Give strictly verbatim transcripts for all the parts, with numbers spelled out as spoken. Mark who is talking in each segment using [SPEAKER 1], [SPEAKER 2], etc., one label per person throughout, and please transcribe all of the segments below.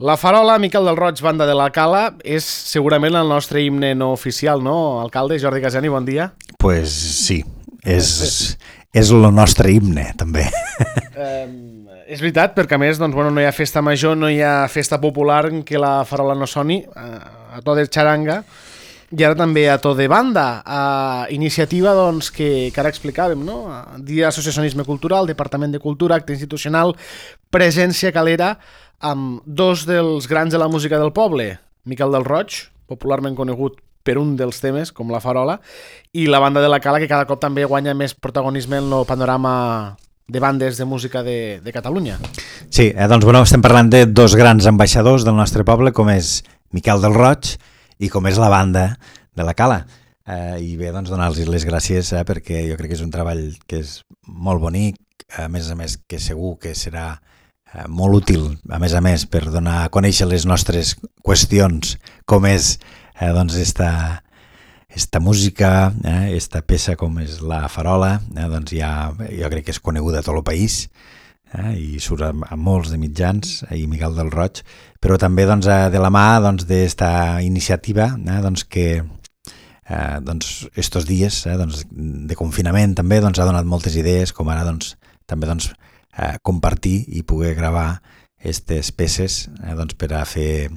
[SPEAKER 1] La Farola, Miquel del Roig, Banda de la Cala, és segurament el nostre himne no oficial, no, alcalde? Jordi Casani, bon dia.
[SPEAKER 2] Pues sí, és, és el nostre himne, també.
[SPEAKER 1] Eh, és veritat, perquè a més doncs, bueno, no hi ha festa major, no hi ha festa popular en què la Farola no soni, a, a to de xaranga, i ara també a to de banda, a iniciativa doncs, que, que ara explicàvem, no? Dia d'associacionisme cultural, Departament de Cultura, acte institucional, presència calera, amb dos dels grans de la música del poble, Miquel del Roig, popularment conegut per un dels temes, com la Farola, i la Banda de la Cala, que cada cop també guanya més protagonisme en el panorama de bandes de música de, de Catalunya.
[SPEAKER 2] Sí, eh, doncs bueno, estem parlant de dos grans ambaixadors del nostre poble, com és Miquel del Roig i com és la Banda de la Cala. Eh, I bé, doncs donar-los les gràcies, eh, perquè jo crec que és un treball que és molt bonic, a més a més que segur que serà eh, molt útil, a més a més, per donar a conèixer les nostres qüestions, com és eh, doncs esta, esta música, eh, esta peça com és la Farola, eh, doncs ja, jo crec que és coneguda a tot el país, eh, i surt a, a molts de mitjans, eh, i Miquel del Roig, però també doncs, de la mà doncs, d'esta iniciativa, eh, doncs, que eh, doncs, estos dies eh, doncs, de confinament també doncs, ha donat moltes idees, com ara doncs, també doncs, eh, compartir i poder gravar aquestes peces eh, doncs, per a fer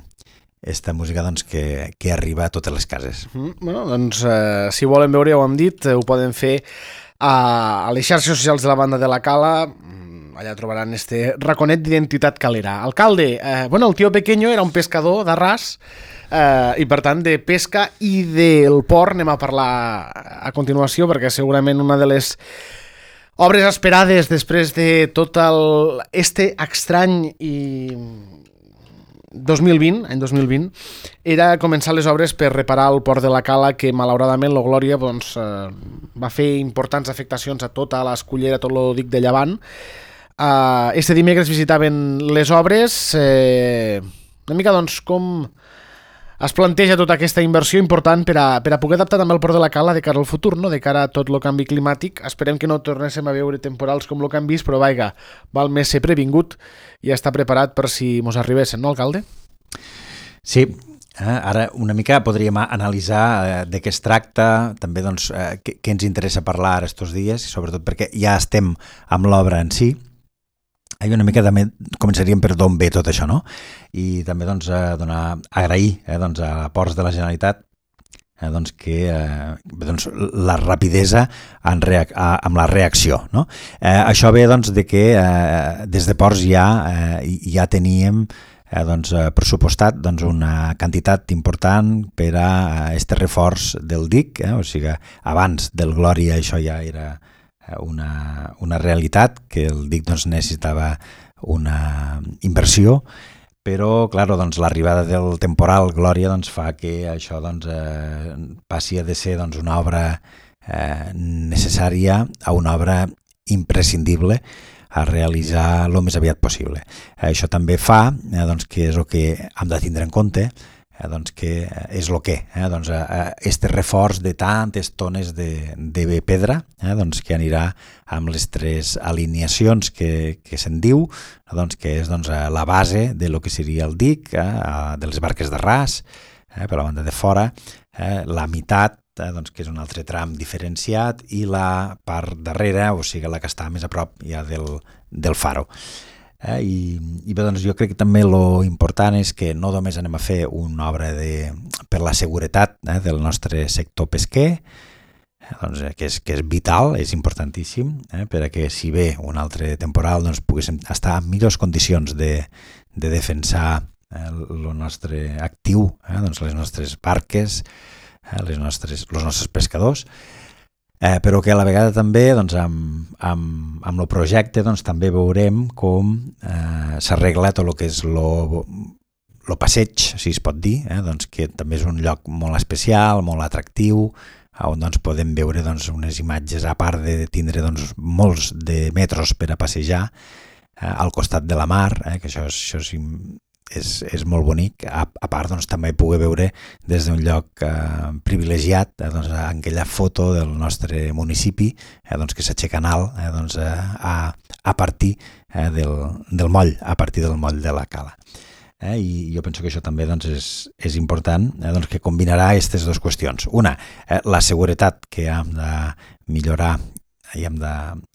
[SPEAKER 2] esta música doncs, que, que arriba a totes les cases.
[SPEAKER 1] Mm, bueno, doncs, eh, si volen veure, ja ho hem dit, ho poden fer a, a les xarxes socials de la Banda de la Cala. Allà trobaran este raconet d'identitat calera. Alcalde, eh, bueno, el tio Pequeño era un pescador d'Arràs, eh, i per tant de pesca i del port anem a parlar a continuació, perquè segurament una de les obres esperades després de tot el, este estrany i dos mil vint, any dos mil vint, era començar les obres per reparar el port de la Cala, que malauradament la Glòria doncs, eh, va fer importants afectacions a tota l'escullera, tot el dic de Llevant. Uh, este dimecres visitaven les obres, eh, una mica doncs com es planteja tota aquesta inversió important per a, per a poder adaptar també el port de la Cala de cara al futur, no? De cara a tot el canvi climàtic. Esperem que no tornéssim a veure temporals com el que hem vist, però vaiga, val més ser previngut i estar preparat per si mos arribessin, no, alcalde?
[SPEAKER 2] Sí, eh, ara una mica podríem analitzar eh, de què es tracta, també doncs, eh, què, què ens interessa parlar estos dies, i sobretot perquè ja estem amb l'obra en si. I una mica també començaríem per d'on ve tot això, no? I també doncs, a donar, agrair eh, doncs, a Ports de la Generalitat eh, doncs, que, eh, doncs, la rapidesa en reac a, amb la reacció, no? Eh, això ve doncs, de que eh, des de Ports ja, eh, ja teníem eh, doncs, pressupostat doncs, una quantitat important per a este reforç del dic, eh? O sigui, abans del Glòria això ja era Una, una realitat, que el dic doncs, necessitava una inversió, però claro, doncs, l'arribada del temporal Glòria doncs, fa que això doncs, eh, passi a de ser doncs, una obra eh, necessària a una obra imprescindible a realitzar el més aviat possible. Eh, això també fa eh, doncs, que és el que hem de tindre en compte, Eh, doncs que és el que, eh, doncs, eh, este reforç de tantes tones de, de pedra, eh, doncs, que anirà amb les tres alineacions que, que se'n diu, doncs, que és doncs, la base de lo que seria el dic, eh, de les barques d'Arràs, eh, per la banda de fora, eh, la meitat, eh, doncs, que és un altre tram diferenciat, i la part darrere, o sigui, la que està més a prop ja del, del faro. Eh, i, i bé, doncs jo crec que també lo important és que no només anem a fer una obra de, per la seguretat eh, del nostre sector pesquer, eh, doncs, que, és, que és vital, és importantíssim, eh, per a que si ve un altre temporal doncs, poguéssim estar en millors condicions de, de defensar el eh, nostre actiu, eh, doncs, les nostres barques, eh, les nostres, els nostres pescadors. Eh, però que a la vegada també doncs, amb, amb, amb el projecte doncs, també veurem com eh, s'arregla tot el que és el passeig, si es pot dir, eh, doncs, que també és un lloc molt especial, molt atractiu, on doncs, podem veure doncs, unes imatges, a part de tindre doncs, molts de metros per a passejar eh, al costat de la mar, eh, que això, això és, és, és molt bonic, a, a part doncs, també poder veure des d'un lloc eh, privilegiat eh, doncs, aquella foto del nostre municipi eh, doncs, que s'aixeca en alt eh, doncs, a, a partir eh, del, del moll, a partir del moll de la Cala. eh, i jo penso que això també doncs, és, és important, eh, doncs, que combinarà aquestes dues qüestions. Una, eh, la seguretat que hem de millorar i hem de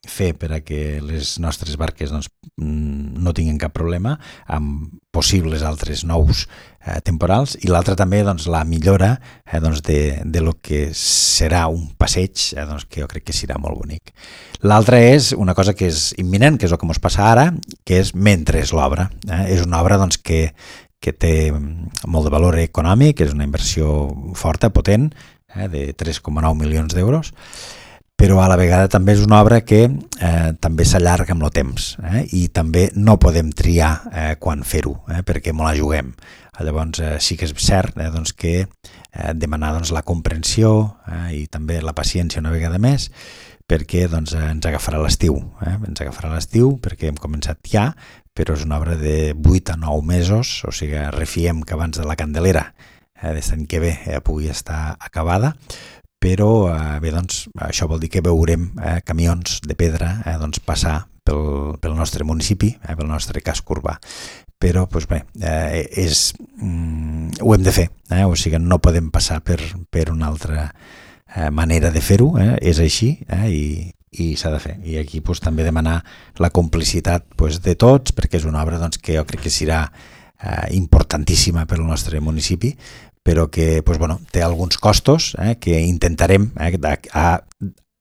[SPEAKER 2] fer per a que les nostres barques doncs, no tinguin cap problema amb possibles altres nous eh, temporals, i l'altra també doncs, la millora eh, doncs, de, de lo que serà un passeig eh, doncs, que jo crec que serà molt bonic. L'altra és una cosa que és imminent, que és el que ens passa ara, que és mentre és l'obra. Eh? És una obra doncs, que, que té molt de valor econòmic, és una inversió forta, potent, eh, de tres coma nou milions d'euros, però a la vegada també és una obra que eh, també s'allarga amb el temps eh, i també no podem triar eh, quan fer-ho, eh, perquè me la juguem. Llavors eh, sí que és cert eh, doncs que eh, demanar doncs, la comprensió eh, i també la paciència una vegada més, perquè doncs, eh, ens agafarà l'estiu. Eh? Ens agafarà l'estiu perquè hem començat ja, però és una obra de vuit a nou mesos, o sigui, refiem que abans de la Candelera eh, d'aquest any que ve eh, pugui estar acabada, però eh, bé, doncs, això vol dir que veurem eh, camions de pedra eh, doncs, passar pel, pel nostre municipi, eh, pel nostre casc urbà. Però doncs, bé, eh, és, mm, ho hem de fer, eh? O sigui, no podem passar per, per una altra eh, manera de fer-ho, eh? És així eh? i, i s'ha de fer. I aquí doncs, també demanar la complicitat doncs, de tots, perquè és una obra doncs, que jo crec que serà eh, importantíssima per al nostre municipi, però que doncs, bueno, té alguns costos eh, que intentarem eh, a, a,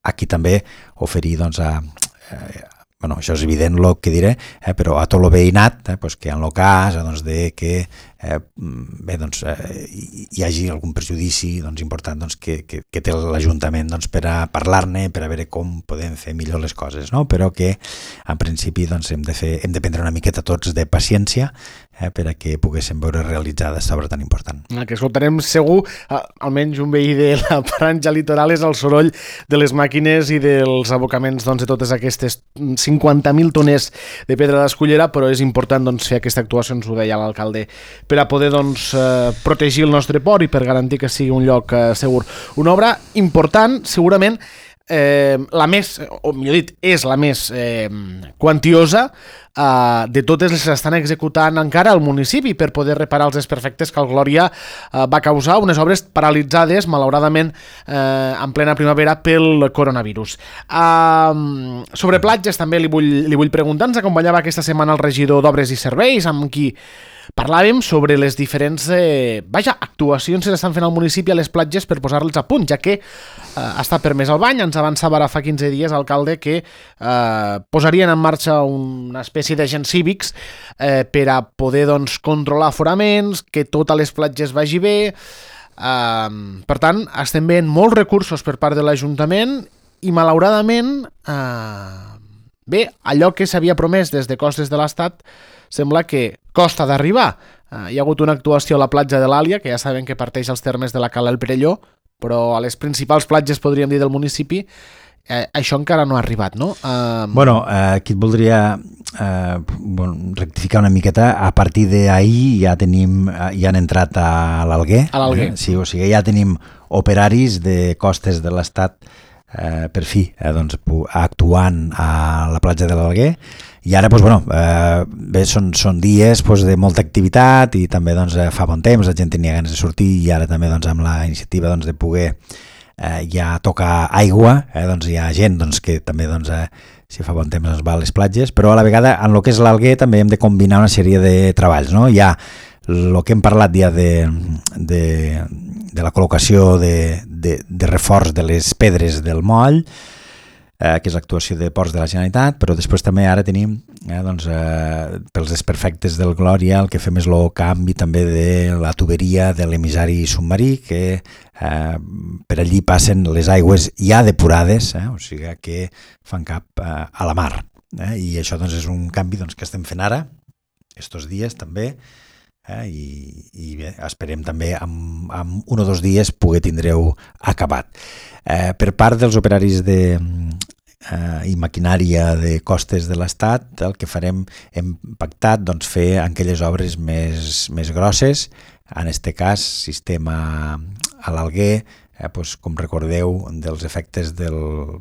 [SPEAKER 2] aquí també oferir doncs, a, a bueno, això és evident el que diré, eh, però a tot el veïnat, eh, doncs, que en el cas eh, doncs, de que eh, bé, doncs, eh, hi hagi algun perjudici doncs, important doncs, que, que, que té l'Ajuntament doncs, per a parlar-ne, per a veure com podem fer millor les coses, no? Però que en principi doncs, hem, de fer, hem de prendre una miqueta tots de paciència eh, per a que poguéssim veure realitzada aquesta obra tan important.
[SPEAKER 1] El que escoltarem segur, almenys un veí de la franja litoral, és el soroll de les màquines i dels abocaments doncs, de totes aquestes cinquanta mil tones de pedra d'escullera, però és important doncs, fer aquesta actuació, ens ho deia l'alcalde, per a poder doncs, eh, protegir el nostre port i per garantir que sigui un lloc eh, segur. Una obra important, segurament, eh, la més, o millor dit, és la més eh, quantiosa eh, de totes les que s'estan executant encara al municipi per poder reparar els desperfectes que el Glòria eh, va causar, unes obres paralitzades, malauradament, eh, en plena primavera pel coronavirus. Eh, sobre platges també li vull, li vull preguntar, ens acompanyava aquesta setmana el regidor d'Obres i Serveis, amb qui parlàvem sobre les diferents eh, vaja, actuacions que s'estan fent al municipi a les platges per posar-les a punt, ja que eh, està permès el bany. Ens avançava ara fa quinze dies, alcalde, que eh, posarien en marxa una espècie d'agents cívics eh, per a poder doncs, controlar aforaments, que tot a les platges vagi bé. Eh, per tant, estem veient molts recursos per part de l'Ajuntament i, malauradament, eh, bé, allò que s'havia promès des de costes de l'Estat sembla que costa d'arribar. Eh, hi ha hagut una actuació a la platja de l'Àlia, que ja sabem que parteix als termes de la Cala del Perelló, però a les principals platges, podríem dir, del municipi, eh, això encara no ha arribat, no? Eh...
[SPEAKER 2] Bueno, eh, aquí et voldria eh, bueno, rectificar una miqueta. A partir d'ahir ja tenim, ja han entrat a l'Alguer.
[SPEAKER 1] A l'Alguer.
[SPEAKER 2] Eh? Sí, o sigui, ja tenim operaris de costes de l'Estat eh, per fi eh, doncs, actuant a la platja de l'Alguer. I ara, doncs, bueno, eh, bé, són, són dies doncs, de molta activitat i també doncs, fa bon temps, la gent tenia ganes de sortir i ara també doncs, amb la iniciativa doncs, de poder eh, ja tocar aigua, eh, doncs, hi ha gent doncs, que també, doncs, eh, si fa bon temps, doncs, va a les platges, però a la vegada en el que és l'Alguer també hem de combinar una sèrie de treballs. No? Hi ha el que hem parlat ja de, de, de la col·locació de, de, de reforç de les pedres del moll, Eh, que és l'actuació de Ports de la Generalitat, però després també ara tenim eh, doncs, eh, pels desperfectes del Glòria el que fem és el canvi també de la tuberia de l'emissari submarí, que eh, per allí passen les aigües ja depurades, eh, o sigui que fan cap eh, a la mar. Eh, I això doncs, és un canvi doncs, que estem fent ara, estos dies també, eh, i, i bé, esperem també en, en un o dos dies poder tindreu acabat. Eh, per part dels operaris de, eh, i maquinària de costes de l'Estat, el que farem, hem pactat doncs, fer aquelles obres més, més grosses, en aquest cas sistema a l'Alguer, eh, doncs, com recordeu dels efectes del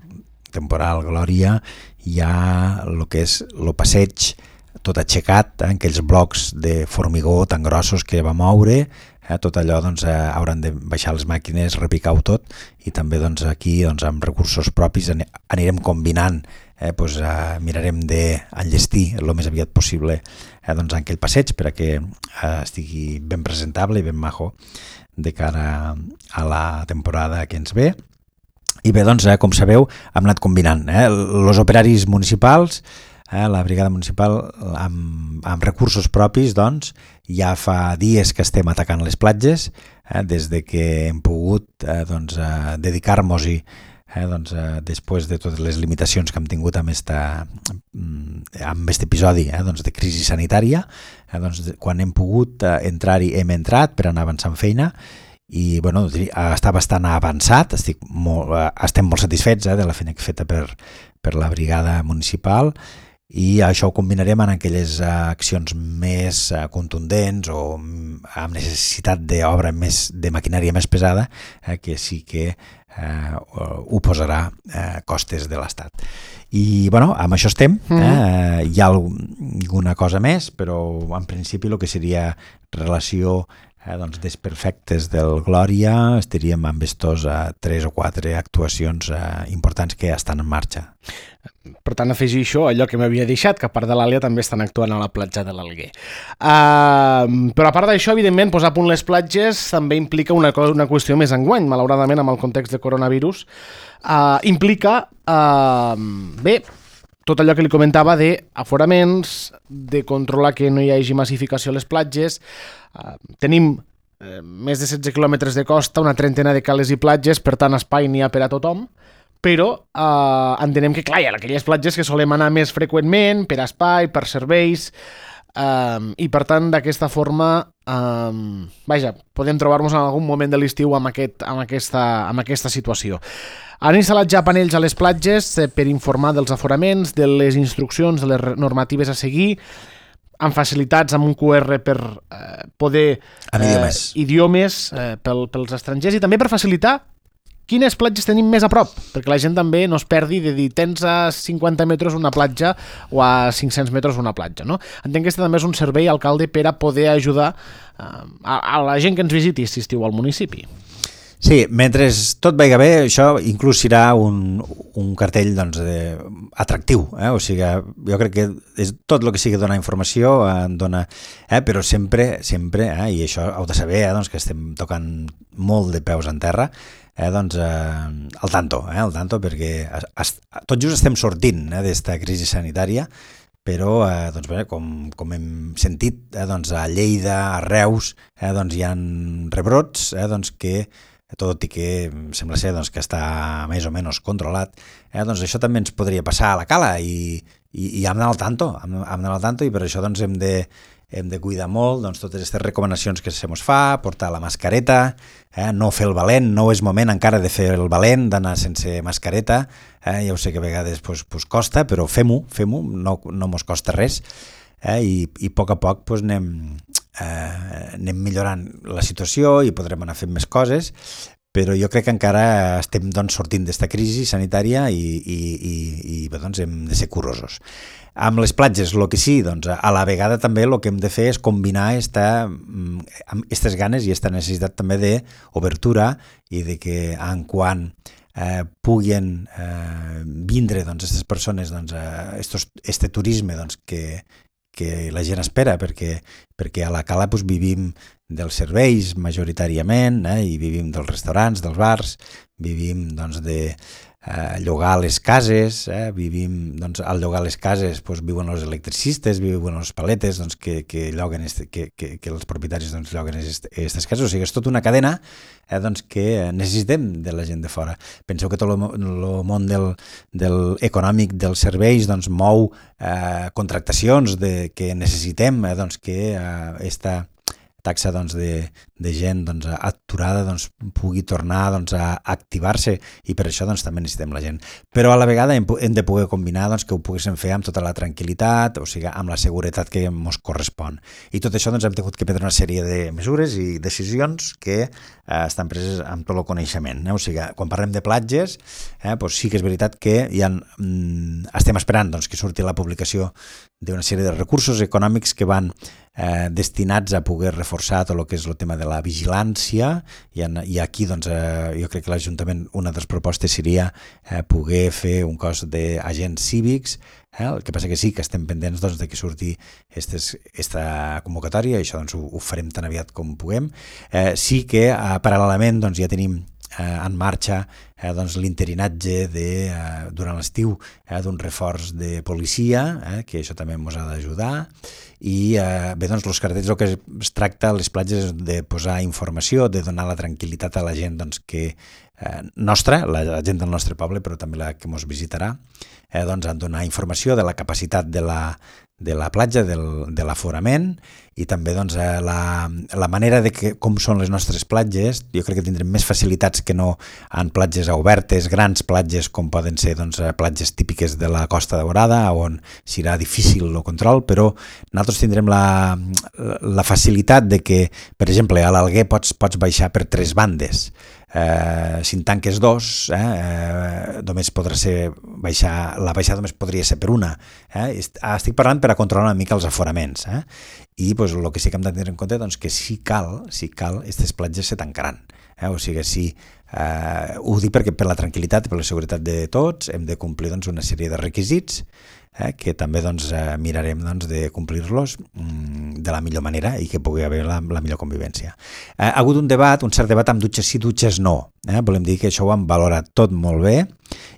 [SPEAKER 2] temporal Glòria, hi ha el que és el passeig tot aixecat, eh, aquells blocs de formigó tan grossos que va moure, eh, tot allò doncs, eh, hauran de baixar les màquines, repicar-ho tot, i també doncs, aquí doncs, amb recursos propis anirem combinant, eh, doncs, eh, mirarem d'enllestir el més aviat possible eh, doncs, aquell passeig per a que eh, estigui ben presentable i ben majo de cara a la temporada que ens ve. I bé, doncs, eh, com sabeu, hem anat combinant eh, els operaris municipals, eh, la brigada municipal amb, amb recursos propis, doncs, ja fa dies que estem atacant les platges, eh, des de que hem pogut eh, doncs, eh, dedicar-nos-hi eh, doncs, eh, després de totes les limitacions que hem tingut amb esta, amb aquest episodi eh, doncs, de crisi sanitària, eh, doncs, quan hem pogut eh, entrar-hi hem entrat per anar avançant feina, i bueno, està bastant avançat, estic molt, estem molt satisfets eh, de la feina feta per, per la brigada municipal, i això ho combinarem en aquelles accions més contundents o amb necessitat d'obra més, de maquinària més pesada, eh, que sí que eh, ho posarà eh, costes de l'Estat. I bueno, amb això estem, eh? Hi ha alguna cosa més, però en principi el que seria relació Eh, doncs desperfectes del Glòria estaríem amb estos eh, tres o quatre actuacions eh, importants que estan en marxa.
[SPEAKER 1] Per tant, afegir això, allò que m'havia deixat, que a part de l'Àlia també estan actuant a la platja de l'Alguer. Uh, però a part d'això, evidentment, posar a punt les platges també implica una, cosa, una qüestió més enguany, malauradament, amb el context de coronavirus. Uh, implica, uh, bé, tot allò que li comentava d'aforaments, de controlar que no hi hagi massificació a les platges. Uh, tenim uh, més de setze quilòmetres de costa, una trentena de cales i platges, per tant espai n'hi ha per a tothom, però uh, entenem que, clar, hi ha aquelles platges que solem anar més freqüentment, per espai, per serveis, uh, i per tant d'aquesta forma, uh, vaja, podem trobar-nos en algun moment de l'estiu amb, aquest, amb, aquesta, amb aquesta situació. Han instal·lat ja panells a les platges per informar dels aforaments, de les instruccions, de les normatives a seguir, amb facilitats amb un Q R per eh, poder...
[SPEAKER 2] Amb
[SPEAKER 1] eh,
[SPEAKER 2] idiomes.
[SPEAKER 1] Idiomes eh, pel, pels estrangers, i també per facilitar quines platges tenim més a prop, perquè la gent també no es perdi de dir tens a cinquanta metres una platja o a cinc-cents metres una platja, no? Entenc que aquest també és un servei, alcalde, per a poder ajudar eh, a, a la gent que ens visiti si estiu al municipi.
[SPEAKER 2] Sí, mentre tot vagi bé, això inclús serà un, un cartell doncs, de, atractiu, eh? O sigui, jo crec que és tot el que sigui donar informació, eh, dona, eh? Però sempre, sempre, eh? I això heu de saber, eh? Doncs que estem tocant molt de peus en terra, eh? Doncs eh, al tanto, eh? Al tanto, perquè es, es, tot just estem sortint eh? d'esta crisi sanitària, però eh, doncs, bé, com, com hem sentit, eh? Doncs a Lleida, a Reus, eh? Doncs hi ha rebrots eh? Doncs que tot i que sembla ser doncs, que està més o menys controlat, eh, doncs això també ens podria passar a la cala i, i, i hem d'anar al tanto, hem, hem d'anar al tanto i per això doncs, hem, de, hem de cuidar molt doncs, totes aquestes recomanacions que se mos fa, portar la mascareta, eh, no fer el valent, no és moment encara de fer el valent, d'anar sense mascareta, eh, ja ho sé que a vegades pues, pues costa, però fem-ho, fem-ho, no, no mos costa res, eh, i, i a poc a poc pues, anem... Eh, anem millorant la situació i podrem anar fent més coses, però jo crec que encara estem doncs, sortint d'esta crisi sanitària i, i, i, i bé, doncs, hem de ser curosos. Amb les platges, el que sí, doncs, a la vegada també el que hem de fer és combinar esta, aquestes ganes i aquesta necessitat també d'obertura i de que en quan eh, puguin eh, vindre doncs, aquestes persones, doncs, eh, estos, este turisme doncs, que que la gent espera, perquè, perquè a la cala doncs, vivim dels serveis majoritàriament, eh, i vivim dels restaurants, dels bars, vivim doncs, de eh, llogar les cases, eh, vivim, doncs, al llogar les cases doncs, viuen els electricistes, viuen els paletes doncs, que, que, lloguen este, que, que, que els propietaris doncs, lloguen aquestes cases, o sigui, és tota una cadena eh, doncs, que necessitem de la gent de fora. Penseu que tot el món del, del econòmic dels serveis doncs, mou eh, contractacions de, que necessitem, eh, doncs, que eh, esta taxa doncs, de, de gent doncs, a, aturada doncs, pugui tornar doncs, a activar-se, i per això doncs, també necessitem la gent. Però a la vegada hem, hem de poder combinar doncs, que ho poguéssim fer amb tota la tranquil·litat, o sigui, amb la seguretat que ens correspon. I tot això doncs, hem tingut que prendre una sèrie de mesures i decisions que eh, estan preses amb tot el coneixement. Eh? O sigui, quan parlem de platges, eh, doncs sí que és veritat que ja, mm, estem esperant doncs, que surti la publicació d'una sèrie de recursos econòmics que van eh, destinats a poder reforçar tot el que és el tema de la vigilància, i, en, i aquí doncs, eh, jo crec que l'Ajuntament, una de les propostes seria eh, poder fer un cos d'agents cívics. Eh? El que passa que sí que estem pendents doncs, de que surti aquesta convocatòria, i això doncs, ho, ho farem tan aviat com puguem. Eh, sí que eh, paral·lelament doncs, ja tenim Eh, en marxa eh, doncs, l'interinatge de, eh, durant l'estiu eh, d'un reforç de policia, eh, que això també ens ha d'ajudar, i eh, bé, doncs, els cartells, el que es tracta a les platges de posar informació, de donar la tranquil·litat a la gent doncs, que eh, nostra, la, la gent del nostre poble, però també la que ens visitarà, eh, doncs, en donar informació de la capacitat de la, de la platja, del, de l'aforament, i també doncs, la, la manera de que, com són les nostres platges. Jo crec que tindrem més facilitats que no en platges obertes, grans platges com poden ser doncs, platges típiques de la Costa Daurada, on serà difícil el control, però nosaltres tindrem la, la facilitat de que, per exemple, a l'Alguer pots, pots baixar per tres bandes. Eh, si en tanques dos, eh, eh, només podrà ser baixar, la baixada només podria ser per una. Eh? Estic parlant per a controlar una mica els aforaments. Eh? I pues, el que sí que hem de tenir en compte doncs, que si cal, si cal, aquestes platges se tancaran. Eh? O sigui, si, eh, ho dic perquè per la tranquil·litat i per la seguretat de tots hem de complir doncs, una sèrie de requisits eh, que també doncs, eh, mirarem doncs, de complir-los mm, de la millor manera i que pugui haver la, la millor convivència. Eh, ha hagut un debat, un cert debat amb dutxes sí, dutxes no. Eh? Volem dir que això ho hem valorat tot molt bé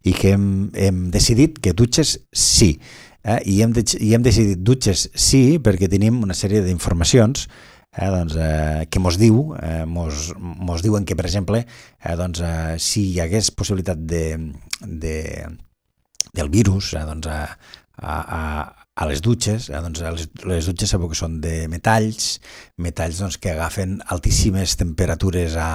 [SPEAKER 2] i que hem, hem decidit que dutxes sí. Eh? I, hem de, I hem decidit dutxes sí perquè tenim una sèrie d'informacions eh, doncs, eh, que mos diu, eh, mos, mos diuen que, per exemple, eh, doncs, eh, si hi hagués possibilitat de, de, del virus eh, doncs, a, a, a les dutxes, eh, doncs, les, les dutxes sabeu que són de metalls, metalls doncs, que agafen altíssimes temperatures a,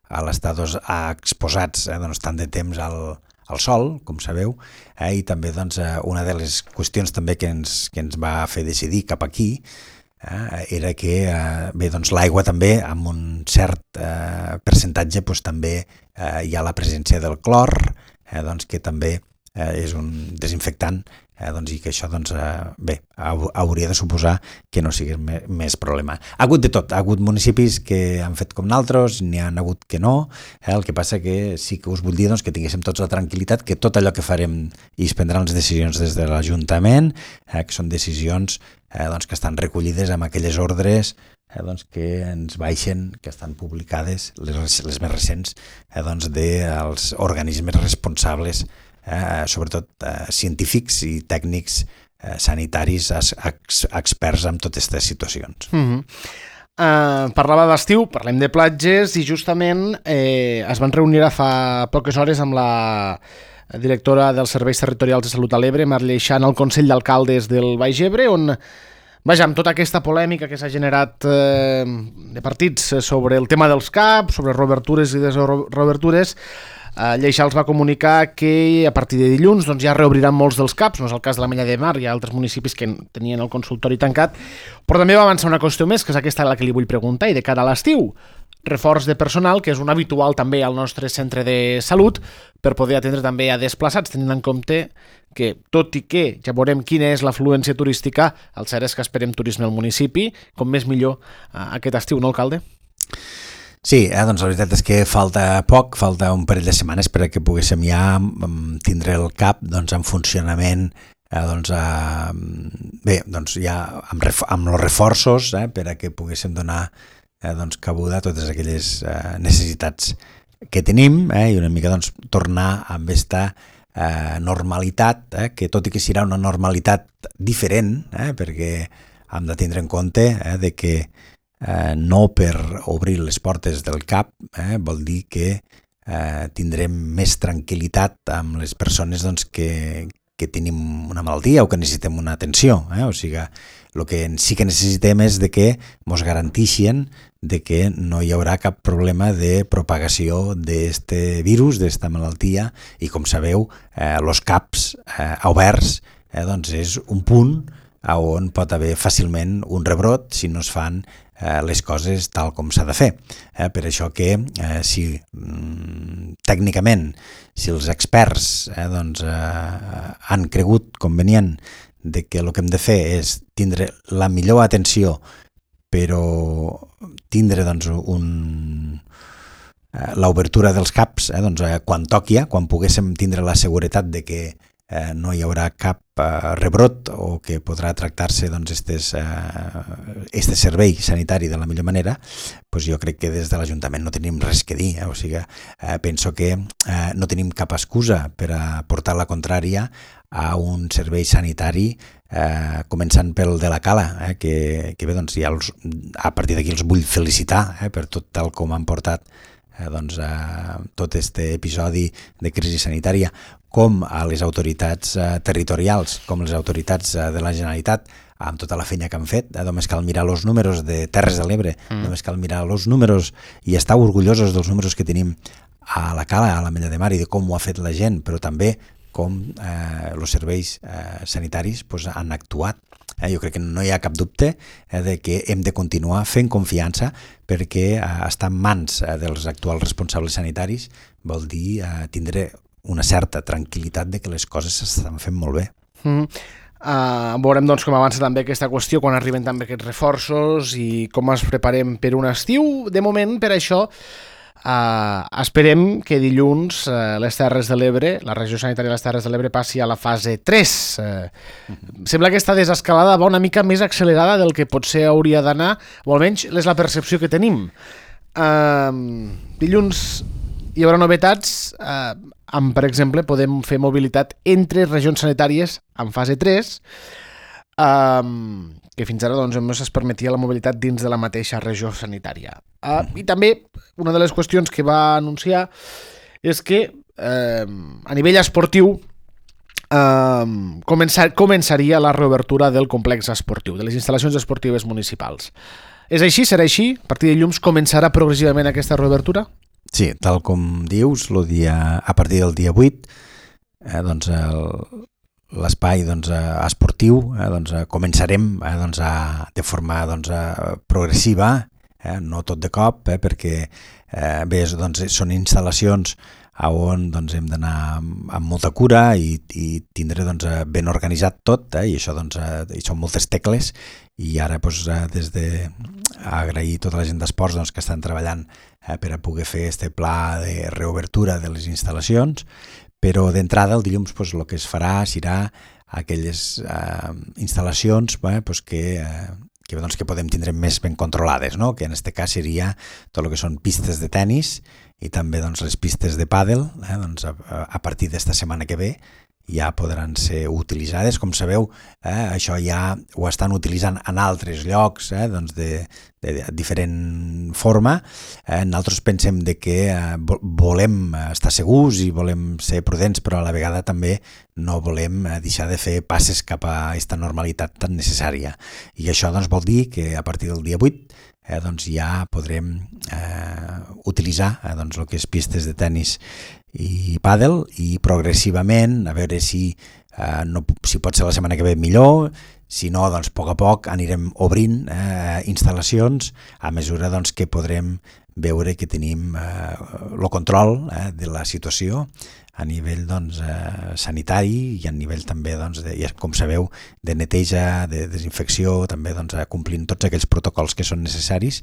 [SPEAKER 2] a l'estar doncs, exposats eh, doncs, tant de temps al al sol, com sabeu, eh, i també doncs, una de les qüestions també que ens, que ens va fer decidir cap aquí eh, era que eh, bé, doncs, l'aigua també, amb un cert eh, percentatge, doncs, també eh, hi ha la presència del clor, eh, doncs, que també eh, és un desinfectant, eh, doncs, i que això doncs, eh, bé, hauria de suposar que no sigui me, més problema. Ha hagut de tot, ha hagut municipis que han fet com naltros, n'hi ha hagut que no, eh, el que passa que sí que us vull dir doncs, que tinguéssim tots la tranquil·litat que tot allò que farem i es prendran les decisions des de l'Ajuntament, eh, que són decisions eh, doncs, que estan recollides amb aquelles ordres eh, doncs, que ens baixen, que estan publicades, les, les més recents, eh, doncs, dels organismes responsables, Eh, sobretot eh, científics i tècnics eh, sanitaris ex, experts en totes aquestes situacions.
[SPEAKER 1] Mm-hmm. uh, parlava d'estiu, parlem de platges i justament eh, es van reunir fa poques hores amb la directora dels Serveis Territorials de Salut a l'Ebre, Marley Xan, al Consell d'Alcaldes del Baix Ebre, on vaja, amb tota aquesta polèmica que s'ha generat eh, de partits sobre el tema dels C A P, sobre reobertures i desobertures, Uh, Lleixà els va comunicar que a partir de dilluns doncs, ja reobriran molts dels C A Ps, no és el cas de la Mella de Mar, hi ha altres municipis que tenien el consultori tancat, però també va avançar una qüestió més, que és aquesta la que li vull preguntar, i de cara a l'estiu, reforç de personal, que és un habitual també al nostre centre de salut, per poder atendre també a desplaçats, tenint en compte que, tot i que ja veurem quina és l'afluència turística, el cert és que esperem turisme al municipi, com més millor uh, aquest estiu, no, alcalde?
[SPEAKER 2] Sí, eh, doncs la veritat és que falta poc, falta un parell de setmanes per a que poguéssim ja tindre el C A P doncs, en funcionament, eh, doncs, eh, bé, doncs ja amb, ref amb els reforços eh, per a que poguéssim donar eh, doncs, cabuda a totes aquelles eh, necessitats que tenim eh, i una mica doncs, tornar amb aquesta eh, normalitat, eh, que tot i que serà una normalitat diferent, eh, perquè hem de tindre en compte eh, de que Eh, no per obrir les portes del C A P eh, vol dir que eh, tindrem més tranquil·litat amb les persones doncs, que, que tenim una malaltia o que necessitem una atenció. Eh? O sigui, el que sí que necessitem és de que ens garanteixin de que no hi haurà cap problema de propagació d'aquest virus, d'aquesta malaltia, i com sabeu, eh, els CAPs eh, oberts eh, doncs és un punt on pot haver fàcilment un rebrot si no es fan eh, les coses tal com s'ha de fer. Eh, per això que eh, si mm, tècnicament, si els experts eh, doncs, eh, han cregut convenient de que el que hem de fer és tindre la millor atenció, però tindre doncs, un, eh, l'obertura dels CAPs eh, doncs, eh, quan toqui, quan poguéssim tindre la seguretat de que eh, no hi haurà cap eh, rebrot o que podrà tractar-se doncs, estes, eh, este servei sanitari de la millor manera, doncs jo crec que des de l'Ajuntament no tenim res que dir. Eh? O sigui, eh, penso que eh, no tenim cap excusa per a portar la contrària a un servei sanitari, eh, començant pel de la Cala, eh, que, que bé, doncs, ja els, a partir d'aquí els vull felicitar eh, per tot tal com han portat eh, doncs, eh, tot este episodi de crisi sanitària, com a les autoritats eh, territorials, com les autoritats eh, de la Generalitat, amb tota la feina que han fet. Eh, només cal mirar els números de Terres de l'Ebre, mm. només cal mirar els números i estar orgullosos dels números que tenim a la Cala, a la Mella de Mar, i de com ho ha fet la gent, però també com eh, els serveis eh, sanitaris pues, han actuat. Eh, jo crec que no hi ha cap dubte eh, de que hem de continuar fent confiança, perquè eh, estar en mans eh, dels actuals responsables sanitaris vol dir eh, tindre una certa tranquil·litat de que les coses s'estan fent molt bé.
[SPEAKER 1] Mm. Uh, veurem doncs, com avança també aquesta qüestió, quan arriben també aquests reforços i com ens preparem per un estiu. De moment, per això, Uh, esperem que dilluns uh, les Terres de l'Ebre, la regió sanitària de les Terres de l'Ebre passi a la fase tres. Uh, uh-huh. Sembla que aquesta desescalada va una mica més accelerada del que potser hauria d'anar, o almenys és la percepció que tenim. Uh, dilluns hi haurà novetats, uh, amb, per exemple, podem fer mobilitat entre regions sanitàries en fase tres, uh, que fins ara doncs, només es permetia la mobilitat dins de la mateixa regió sanitària. Uh, I també una de les qüestions que va anunciar és que eh, a nivell esportiu eh, començar, començaria la reobertura del complex esportiu, de les instal·lacions esportives municipals. És així? Serà així? A partir de dilluns començarà progressivament aquesta reobertura?
[SPEAKER 2] Sí, tal com dius, lo dia, a partir del dia vuit, eh, doncs el, l'espai doncs, esportiu eh, doncs, començarem eh, doncs, a, de forma doncs, progressiva, eh, no tot de cop, eh, perquè eh, bé, doncs, són instal·lacions on doncs, hem d'anar amb, amb molta cura i, i tindre doncs, ben organitzat tot, eh, i això doncs, eh, són moltes tecles, i ara doncs, eh, des de agrair tota la gent d'esports doncs, que estan treballant eh, per a poder fer este pla de reobertura de les instal·lacions. Però d'entrada el dilluns pues, el que es farà serà aquelles eh, instal·lacions eh, pues, que, eh, que, doncs, que podem tindre més ben controlades, no? Que en aquest cas seria tot el que són pistes de tennis i també doncs, les pistes de pàdel, eh, doncs, a, a partir d'esta setmana que ve ja podran ser utilitzades. Com sabeu, eh, això ja ho estan utilitzant en altres llocs eh, doncs de, de, de diferent forma. Eh, nosaltres pensem de que eh, volem estar segurs i volem ser prudents, però a la vegada també no volem eh, deixar de fer passes cap a aquesta normalitat tan necessària. I això doncs, vol dir que a partir del dia vuit eh, doncs, ja podrem eh, utilitzar eh, doncs, el que és pistes de tennis i pàdel, i progressivament a veure si, eh, no, si pot ser la setmana que ve millor, si no, doncs a poc a poc anirem obrint eh, instal·lacions a mesura doncs, que podrem veure que tenim eh, el control eh, de la situació a nivell doncs, eh, sanitari i a nivell també, doncs, de, com sabeu, de neteja, de desinfecció, també doncs, complint tots aquells protocols que són necessaris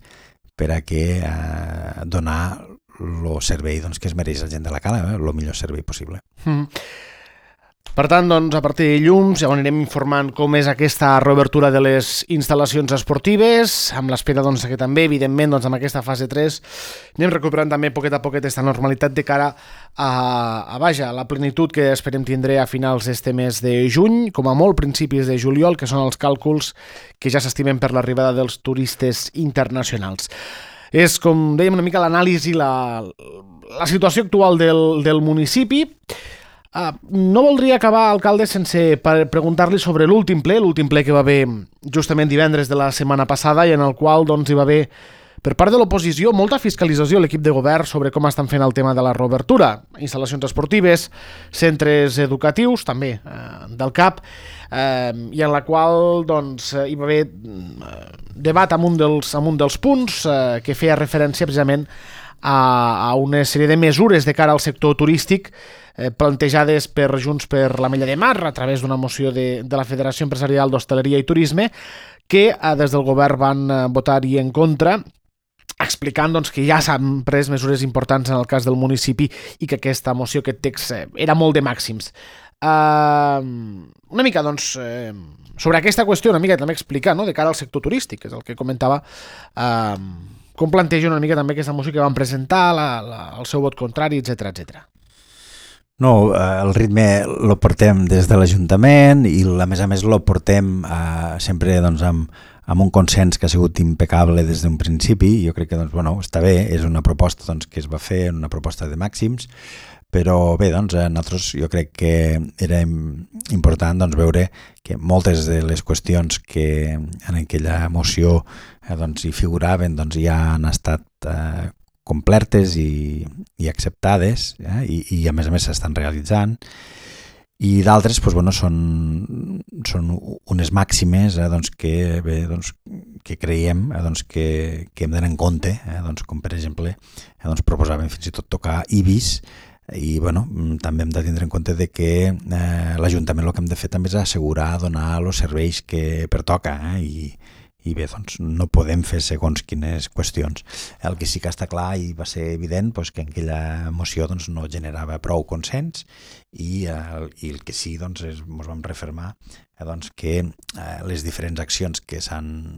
[SPEAKER 2] per a que eh, donar el servei doncs, que es mereix la gent de la Cala, eh, el millor servei possible.
[SPEAKER 1] Mm. Per tant, doncs, a partir de dilluns ja anirem informant com és aquesta reobertura de les instal·lacions esportives, amb l'espera doncs, que també, evidentment, doncs, amb aquesta fase tres anem recuperant també poquet a poquet aquesta normalitat de cara a, a vaja, la plenitud que esperem tindre a finals d'este mes de juny, com a molt principis de juliol, que són els càlculs que ja s'estimen per l'arribada dels turistes internacionals. És, com dèiem, una mica l'anàlisi, la, la situació actual del, del municipi. Uh, no voldria acabar, alcalde, sense preguntar-li sobre l'últim ple, l'últim ple que va haver justament divendres de la setmana passada i en el qual doncs, hi va haver, per part de l'oposició, molta fiscalització a l'equip de govern sobre com estan fent el tema de la reobertura, instal·lacions esportives, centres educatius, també eh, del C A P, eh, i en la qual doncs, hi va haver eh, debat amb un dels, amb un dels punts eh, que feia referència precisament a, a una sèrie de mesures de cara al sector turístic eh, plantejades per Junts per la Mella de Mar a través d'una moció de, de la Federació Empresarial d'Hostaleria i Turisme que eh, des del govern van eh, votar-hi en contra, explicant doncs, que ja s'han pres mesures importants en el cas del municipi i que aquesta moció, aquest text, eh, era molt de màxims. Uh, una mica, doncs, eh, sobre aquesta qüestió, una mica també explicar, no?, de cara al sector turístic, que és el que comentava, uh, com planteja una mica també aquesta moció que van presentar, la, la, el seu vot contrari, etcètera, etcètera.
[SPEAKER 2] No, el ritme lo portem des de l'Ajuntament i a més a més lo portem eh, sempre doncs, amb, amb un consens que ha sigut impecable des d'un principi. Jo crec que doncs, bueno, està bé, és una proposta doncs, que es va fer, una proposta de màxims, però bé, doncs, a nosaltres jo crec que era important doncs, veure que moltes de les qüestions que en aquella moció eh, doncs, hi figuraven doncs, ja han estat eh, complertes i, i acceptades eh, i, i a més a més s'estan realitzant, i d'altres doncs, bueno, són, són unes màximes eh, doncs, que, bé, doncs, que creiem eh, doncs, que, que hem d'anar en compte, eh, doncs, com per exemple eh, doncs, proposàvem fins i tot tocar Ibis. I bueno, també hem de tindre en compte de que eh, l'Ajuntament el que hem de fer també és assegurar, donar els serveis que pertoca eh, i, i bé, doncs no podem fer segons quines qüestions. El que sí que està clar i va ser evident doncs, que aquella moció doncs, no generava prou consens i, eh, i el que sí doncs, és, ens vam refermar eh, doncs, que eh, les diferents accions que s'han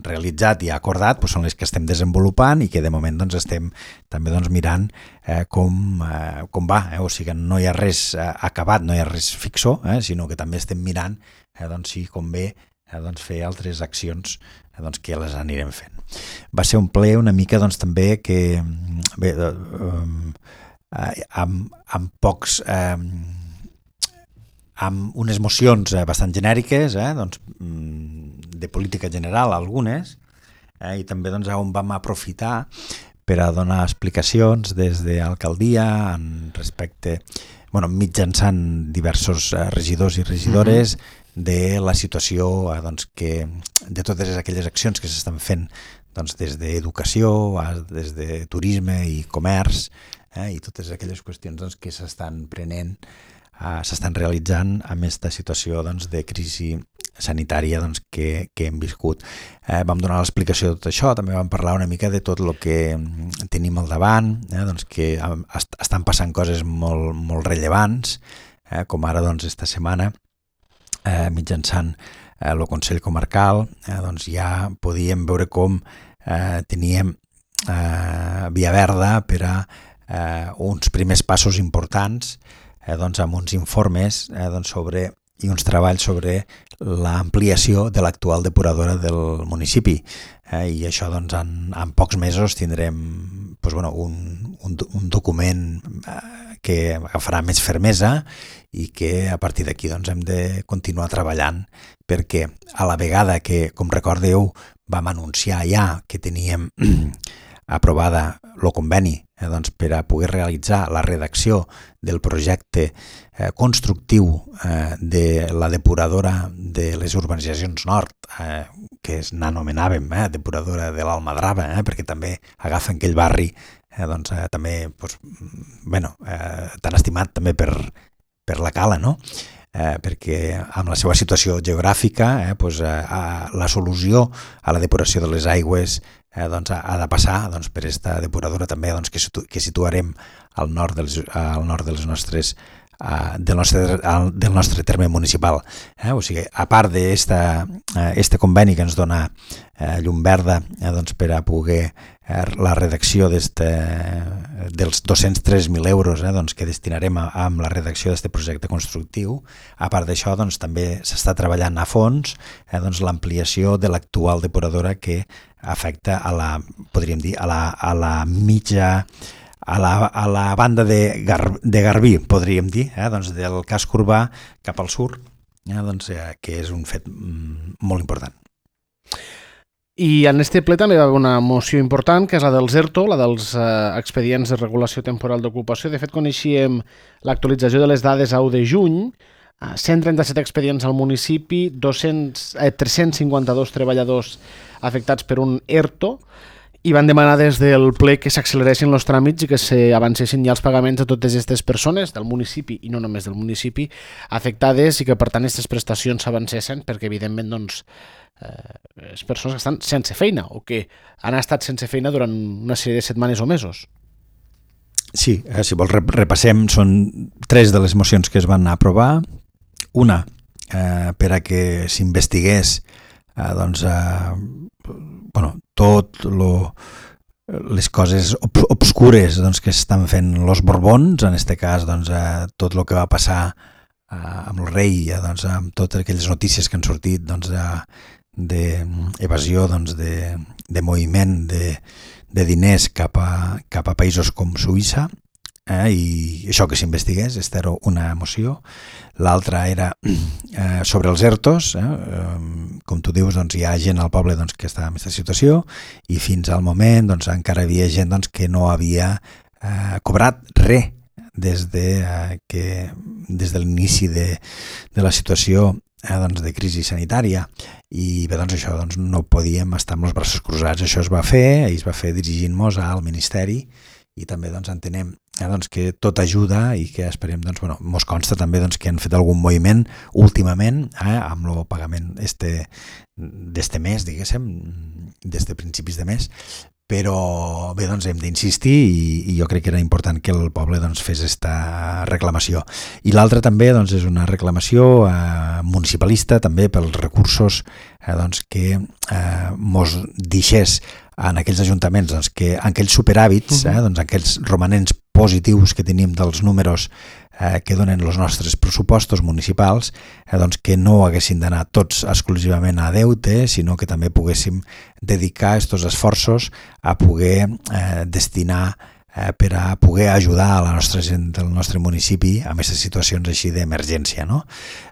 [SPEAKER 2] realitzat i acordat doncs són les que estem desenvolupant i que de moment doncs, estem també doncs, mirant eh, com, eh, com va, eh? O sigui que no hi ha res eh, acabat, no hi ha res fixo, eh? Sinó que també estem mirant eh, doncs, si convé eh, doncs, fer altres accions eh, doncs, que les anirem fent. Va ser un ple una mica doncs, també que bé, eh, amb, amb pocs eh, amb unes mocions eh, bastant genèriques eh, doncs, de política general algunes eh, i també doncs, on vam aprofitar per a donar explicacions des de l'alcaldia en respecte, bueno, mitjançant diversos eh, regidors i regidores mm-hmm. de la situació eh, doncs, que, de totes aquelles accions que s'estan fent doncs, des d'educació, des de turisme i comerç eh, i totes aquelles qüestions doncs, que s'estan prenent Uh, s'estan realitzant amb aquesta situació doncs, de crisi sanitària doncs, que, que hem viscut. Eh, vam donar l'explicació de tot això, també vam parlar una mica de tot el que tenim al davant, eh, doncs, que est estan passant coses molt, molt rellevants, eh, com ara doncs, esta setmana, eh, mitjançant eh, el Consell Comarcal, eh, doncs, ja podíem veure com eh, teníem eh, via verda per a eh, uns primers passos importants Eh, doncs amb uns informes eh, doncs sobre, i uns treballs sobre l'ampliació de l'actual depuradora del municipi. Eh, I això doncs, en, en pocs mesos tindrem doncs, bueno, un, un, un document eh, que agafarà més fermesa i que a partir d'aquí doncs, hem de continuar treballant perquè a la vegada que, com recordeu, vam anunciar ja que teníem aprovada el conveni eh, doncs, per a poder realitzar la redacció del projecte eh, constructiu eh, de la depuradora de les urbanitzacions nord, eh, que n'anomenàvem eh, depuradora de l'Almadrava, eh, perquè també agafen aquell barri eh, doncs, eh, també doncs, bueno, eh, tan estimat també per, per la Cala, no? Eh, perquè amb la seva situació geogràfica eh, doncs, eh, la solució a la depuració de les aigües eh, doncs, ha de passar doncs, per aquesta depuradora també doncs, que, situ que situarem al nord dels, al nord dels nostres, uh, del, nostre, al, del nostre terme municipal. Eh? O sigui, a part d'aquest uh, conveni que ens dona uh, llum verda eh, doncs, per a poder uh, la redacció dels dos-cents tres mil euros eh, doncs, que destinarem a, amb la redacció d'aquest projecte constructiu, a part d'això doncs, també s'està treballant a fons eh, doncs, l'ampliació de l'actual depuradora que afecta a la, podríem dir, a la, a la mitja a la, a la banda de, Gar, de Garbí, podríem dir, eh? doncs del casc urbà cap al sud, eh? doncs, eh, que és un fet mm, molt important.
[SPEAKER 1] I en este ple també va haver una moció important, que és la dels ERTO, la dels eh, expedients de regulació temporal d'ocupació. De fet, coneixíem l'actualització de les dades a u de juny, eh, cent trenta-set expedients al municipi, dos-cents, eh, tres-cents cinquanta-dos treballadors afectats per un ERTO, i van demanar des del ple que s'acceleressin els tràmits i que s'avancessin ja els pagaments a totes aquestes persones del municipi, i no només del municipi, afectades, i que per tant aquestes prestacions s'avancessin, perquè evidentment doncs, eh, les persones que estan sense feina o que han estat sense feina durant una sèrie de setmanes o mesos.
[SPEAKER 2] Sí, eh, si vols repassem, són tres de les mocions que es van aprovar. Una, eh, per a que s'investigués eh, doncs, eh, bueno, tot lo, les coses ob obscures doncs, que estan fent els Borbons, en aquest cas doncs, eh, tot el que va passar eh, amb el rei, eh, doncs, amb totes aquelles notícies que han sortit doncs, d'evasió doncs, de, de moviment de, de diners cap a, cap a països com Suïssa, eh, i això que s'investigués, aquesta era una moció. L'altra era eh, sobre els ERTOs, eh, eh, com tu dius, doncs, hi ha gent al poble doncs, que està en aquesta situació, i fins al moment doncs, encara hi havia gent doncs, que no havia eh, cobrat res des de, eh, que, des de l'inici de, de la situació eh, doncs, de crisi sanitària. I bé, doncs això doncs, no podíem estar amb els braços cruzats. Això es va fer, i es va fer dirigint-nos al Ministeri, i també doncs, entenem eh, doncs, que tot ajuda, i que esperem, doncs, bueno, mos consta també doncs, que han fet algun moviment últimament eh, amb el pagament este, d'este mes, diguéssim, des de principis de mes, però bé, doncs hem d'insistir, i, i jo crec que era important que el poble doncs, fes aquesta reclamació. I l'altra també doncs, és una reclamació eh, municipalista també pels recursos eh, doncs, que eh, mos deixés en aquells ajuntaments doncs, que en aquells superhàbits, eh, doncs, aquells romanents positius que tenim dels números eh, que donen els nostres pressupostos municipals, eh, doncs, que no haguessin d'anar tots exclusivament a deute, sinó que també poguéssim dedicar aquests esforços a poder eh, destinar eh, per a poder ajudar a la nostra gent del nostre municipi en aquestes situacions així d'emergència, no?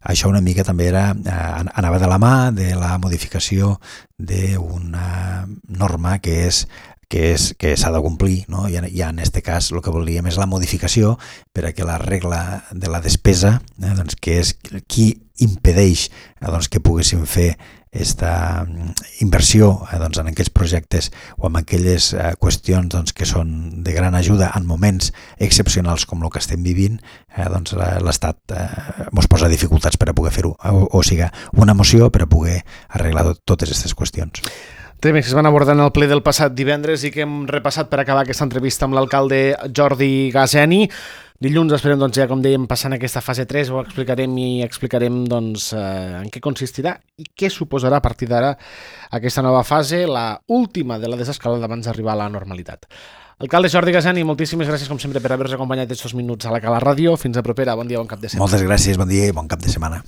[SPEAKER 2] Això una mica també era, eh, anava de la mà de la modificació d'una norma que és que és que s'ha de complir, no? I, i en aquest cas el que volíem és la modificació per a que la regla de la despesa, eh, doncs, que és qui impedeix eh, doncs, que poguéssim fer aquesta inversió eh, doncs, en aquells projectes o en aquelles eh, qüestions doncs, que són de gran ajuda en moments excepcionals com el que estem vivint, eh, doncs l'Estat eh, ens posa dificultats per a poder fer-ho, o, o sigui, una moció per a poder arreglar tot, totes aquestes qüestions.
[SPEAKER 1] Temes que es van abordar en el ple del passat divendres i que hem repassat per acabar aquesta entrevista amb l'alcalde Jordi Gaseni. Dilluns esperem, doncs, ja com dèiem, passar en aquesta fase tres, ho explicarem i explicarem doncs, eh, en què consistirà i què suposarà a partir d'ara aquesta nova fase, la última de la desescalada abans d'arribar a la normalitat. Alcalde Jordi Gaseni, moltíssimes gràcies com sempre per haver-nos acompanyat aquests minuts a la Cala Ràdio. Fins a propera, bon dia, bon cap de setmana.
[SPEAKER 2] Moltes gràcies, bon dia i bon cap de setmana.